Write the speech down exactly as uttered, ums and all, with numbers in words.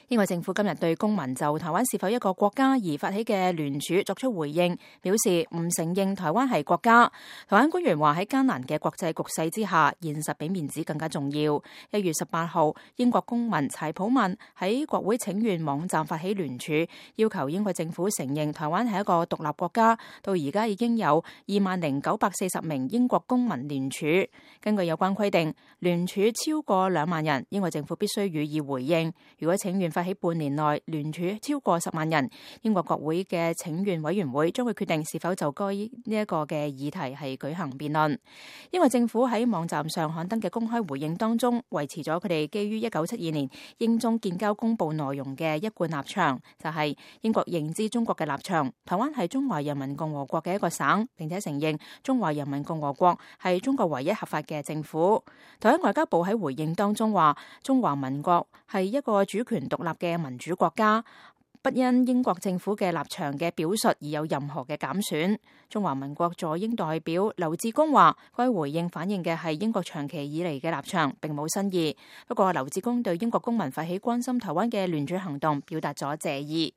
英國政府今日對公民就台灣是否一個國家而發起嘅聯署作出回應，表示唔承認台灣係國家。台灣官員話喺艱難嘅國際局勢之下，現實比面子更加重要。一月十八號，英國公民柴普曼喺國會請願網站發起聯署，要求英國政府承認台灣係一個獨立國家。到而家已經有二萬零九百四十名英國公民聯署。根據有關規定，聯署超過兩萬人，英國政府必須予以回應。如果請願發起半年內聯署超過十萬人，英國國會嘅請願委員會將會決定是否就該呢一個嘅議題係舉行辯論。英國政府喺網站上刊登嘅公開回應當中，維持咗佢哋基於一九七二年英中建交公佈內容嘅一貫立場，就係、是、英國認知中國嘅立場，台灣係中華人民共和國嘅一個省，並且承認中華人民共和國係中國唯一合法嘅政府。台灣外交部喺回應當中話，中華民國係一個主權獨立嘅民主國家，不因英國政府嘅立場嘅表述而有任何嘅減損。中華民國駐英代表劉志功話，該回應反映嘅係英國長期以嚟嘅立場，並冇新意。不過劉志功對英國公民發起關心台灣嘅聯署行動表達咗謝意。